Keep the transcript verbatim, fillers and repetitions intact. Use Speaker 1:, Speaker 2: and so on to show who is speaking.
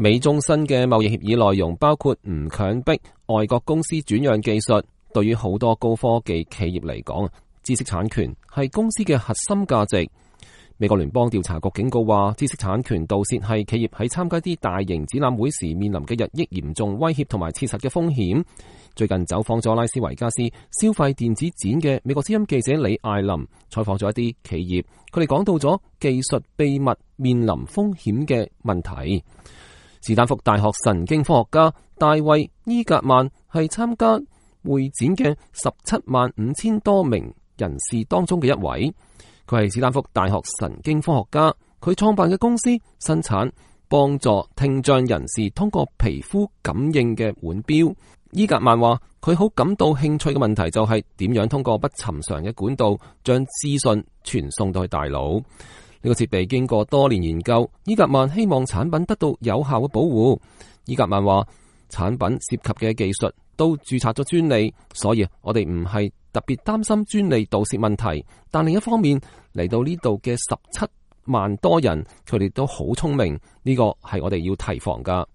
Speaker 1: 美中新嘅貿易協議內容包括唔強迫外國公司轉讓技術。對於好多高科技企業嚟講，知識產權係公司嘅核心價值。美國聯邦調查局警告話，知識產權盜竊係企業喺參加啲大型展覽會時面臨嘅日益嚴重威脅同埋切實嘅風險。最近走訪咗拉斯維加斯消費電子展嘅美國之音記者李艾琳採訪咗一啲企業，佢哋講到咗技術秘密面臨風險嘅問題。史丹福大學神經科學家大衛伊格曼係參加會展嘅十七萬五千多名人士當中嘅一位。佢係史丹福大學神經科學家，佢創辦嘅公司生產幫助聽障人士通過皮膚感應嘅腕錶。伊格曼話佢好感到興趣嘅問題就係點樣通過不尋常嘅管道將資訊傳送到去大腦。呢個設備經過多年研究，伊格曼希望產品得到有效嘅保護。伊格曼話產品涉及嘅技術都註冊咗專利，所以我哋唔係特別擔心專利盜竊問題。但另一方面，嚟到呢度嘅十七萬多人，佢哋都好聰明，呢個係我哋要提防噶。